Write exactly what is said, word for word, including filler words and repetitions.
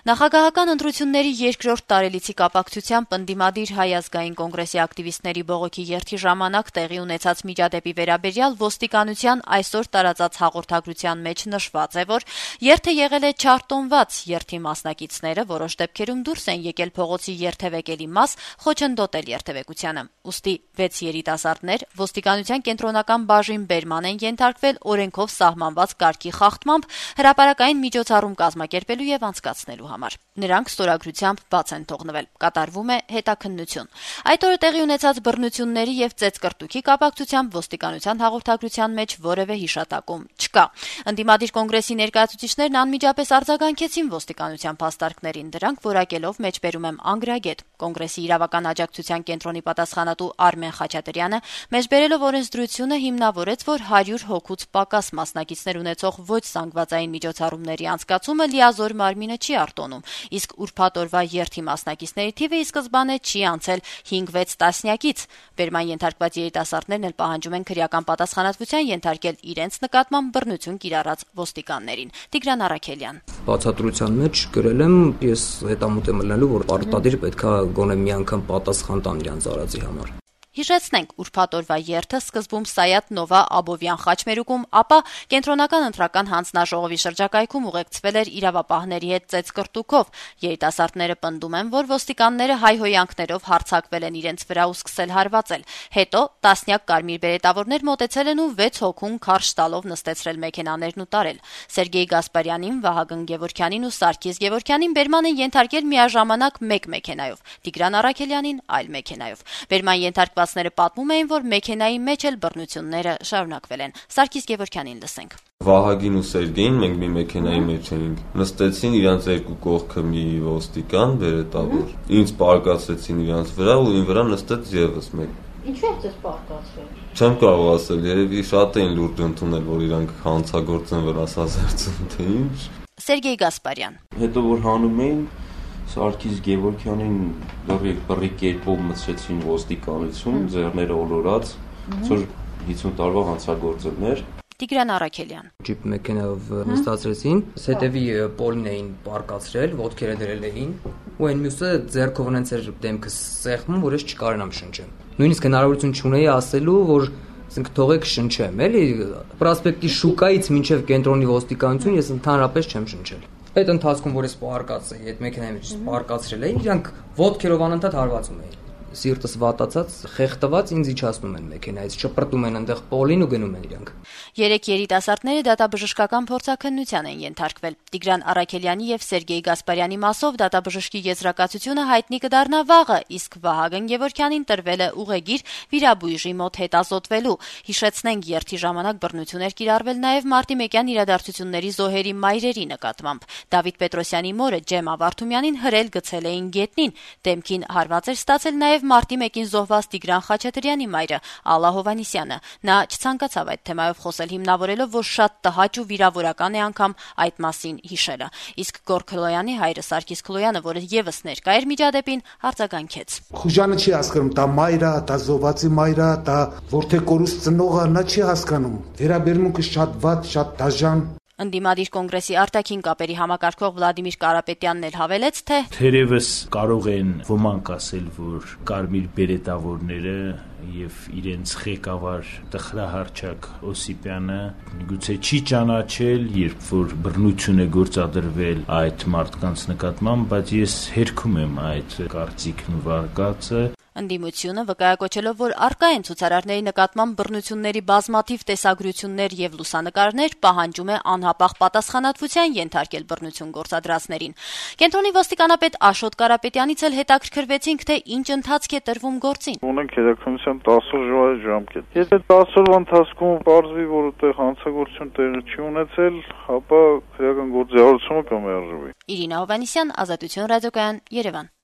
Նախագահական ընտրությունների երկրորդ տարելիցի կապակցությամբ ընդդիմադիր Հայ ազգային կոնգրեսի ակտիվիստների բողոքի երթի ժամանակ տեղի ունեցած միջադեպի վերաբերյալ ոստիկանության այսօր տարածած հաղորդագրության մեջ նշված է, որ երթը եղել է չարտոնված, երթի մասնակիցները որոշ դեպքերում դուրս են եկել փողոցի երթևեկելի մաս խոչընդոտել երթևեկությանը։ Ուստի վեց երիտասարդներ ոստիկանության կենտրոնական բաժին բերման են ենթարկվել օրենքով սահմանված կարգի խախտմամբ հրապարակային միջոցառում կազմակերպելու եւ անցկացնելու համար։ Նրանք ստորագրությամբ բաց են թողնվել։ Կատարվում է հետաքննություն։ Այդ օրը տեղի ունեցած բռնությունների եւ ծեծկռտուքի կապակցությամբ ոստիկանության հաղորդագրության մեջ որևէ հիշատակում չկա։ Ընդդիմադիր կոնգրեսի ներկայացուցիչներն անմիջապես արձագանքեցին ոստիկանության փաստարկներին, դրանք որակելով մեջբերում եմ անգրագետ։ Կոնգրեսի իրավական աջակցության կենտրոնի պատասխանատու Արմեն Խաչատրյանը մեջբերելով օրենսդրությունը հիմնավորեց, որ հարյուր հոգուց պակաս մասնակիցներ ունեցող ոչ զանգվածային միջոցառումների անցկացումը լիազոր մարմինը չի արտոնում, իսկ ուրբաթ օրվա երթի մասնակիցների թիվը ի սկզբանե չի անցել հինգ-վեց տասնյակից։ Բերման ենթարկված երիտասարդներն էլ պահանջում են քրեական պատասխանատվության ենթարկել իրենց նկատմամբ բռնություն կիրառած ոստիկաններին։ Տիգրան Առաքելյան։ Բացատրության մեջ գրել եմ, ես հետամուտ եմ ելնելու, որ պարտադիր պետքա գոնե մի անգամ պատասխան տան իրենց արածի համար։ Հիշեցնենք, ուրբաթ օրվա երթը սկզբում Սայաթ Նովա Աբովյան խաչմերուկում, ապա կենտրոնական ընտրական հանձնաժողովի շրջակայքում ուղեկցվել էր իրավապահների հետ ծեծկռտուքով։ Երիտասարդները պնդում են, որ ոստիկանները հայհոյանքներով հարձակվել են իրենց վրա ու սկսել հարվածել։ Հետո տասնյակ կարմիր բերետավորներ մոտեցել են ու վեց հոգուն քարշ տալով նստեցրել մեքենաներն ու տարել։ Սերգեյ Գասպարյանին, Վահագն Գևորգյանին ու Սարգիս Գևորգյանին բերման են ենթարկել միաժամանակ մեկ մեքենայով, Տիգրան Առաքելյանին այլ մեքենայով։ Բերման ենթարկված ները պատմում էին, որ մեքենայի մեջ էլ բռնությունները շարունակվել են։ Սարգիս Գևորգյանին լսենք։ Վահագին ու Սերգեյին մենք մի մեքենայի մեջ էինք։ Նստեցին իրանց երկու կողքը մի ոստիկան, բերետավոր։ Ինձ պարկացրեցին իրանց վրա ու ին վրա նստեց եւս մեկ։ Ինչու եք ձեզ պարկացրել։ Չեմ կարող ասել, երևի շատ էին լուրջ ընդունել, որ իրանք հանցագործ են վրասազերծում, թե ինչ։ Սերգեյ Գասպարյան։ Հետո որ հանում էին Սարգիս Գևորգյանին դեռ բռի կերպով մցրեցին ոստիկանություն, ձեռները ոլորած, որ հիսուն տարվա հանցագործներ։ Տիգրան Առաքելյան։ Ջիպ մեքենայով նստացրեցին, հետևի պոլին էին պարկացրել, ոտքերը դրել էին, ու այն մյուսը ձեռքով ունենց էր դեմքը սեղմում, որ ես չկարենամ շնչեմ։ Նույնիսկ հնարավորություն չունեի ասելու, որ ասենք թողեք շնչեմ, էլի պրոսպեկտի շուկայից մինչև կենտրոնի ոստիկանություն ես ընդհանրապես չեմ շնչել։ Այդ ընթացքում, որ ես պարկացի, այդ մեքենայի մեջ պարկացրել էին, իրանք ոտքերով անընդհատ հարվածում էին։ Սիրտս վատացած, խեղդված ինձ իջացնում են մեքենայից, շպրտում են այնտեղ պոլին ու գնում են իրանք։ Երեք երիտասարդները դատաբժշկական փորձաքննության են ենթարկվել։ Տիգրան Առաքելյանի եւ Սերգեյ Գասպարյանի մասով դատաբժշկի եզրակացությունը հայտնի կդառնա վաղը, իսկ Վահագն Գևորգյանին տրվել է ուղեգիր վիրաբույժի մոտ հետազոտվելու։ Հիշեցնենք, երթի ժամանակ բռնություններ կիրառվել նաեւ մարտի մեկյան իրադարձությունների զոհերի մայրերի նկատմամբ։ Դավիթ Պետրոսյանի մորը Ջեմա Վարդումյանին հրել գցել էին գետնին, դեմքին հարված էր ստացել նաեւ մարտի մեկին զոհված Տիգրան Խաչատրյանի մայրը Ալլա Հովհաննիսյանը։ Նա չցանկացավ այդ թեմայով խոսել, հիմնավորելով, որ շատ տհաճ ու վիրավորական է անգամ այդ մասին հիշելը։ Իսկ Գորգ Քլոյանի հայրը Սարգիս Քլոյանը, որը եւս ներկա էր միջադեպին, արձագանքեց։ Խուժանը չի հասկանում, դա մայրը, դա զոհվածի մայրը, դա որդեկորուս ծնողը, նա չի հասկանում։ Վերաբերմունքը շատ վատ, շատ դաժան։ Ընդդիմադիր կոնգրեսի արտաքին կապերի համակարգող Վլադիմիր Կարապետյանն էլ հավելեց, թե թերևս կարող են ոմանք ասել, որ կարմիր բերետավորները եւ իրենց ղեկավար տխրահարչակ Օսիպյանը գուցե չի ճանաչել, երբ որ բռնություն է գործադրվել այդ մարդկանց նկատմամբ, բայց ես հերքում եմ այդ կարծիքն ու վարկածը։ Ընդդիմությունը վկայակոչելով, որ առկա են ցուցարարների նկատմամբ բռնությունների բազմաթիվ տեսագրություններ եւ լուսանկարներ, պահանջում է անհապաղ պատասխանատվության ենթարկել բռնություն գործադրածներին։ Կենտրոնի ոստիկանապետ Աշոտ Կարապետյանից էլ հետաքրքրվեցինք, թե ինչ ընթացք է տրվում գործին։ Ունենք հետաքննության տասը օրվա ժամկետ։ Եթե տասը օրվա ընթացքում պարզվի, որ այդտեղ հանցագործություն տեղի չի ունեցել, ապա քրեական գործի հարցումը կմերժվի։ Իրինա Հովհաննիսյան, Ազատություն ռադիոկայան, Երևան։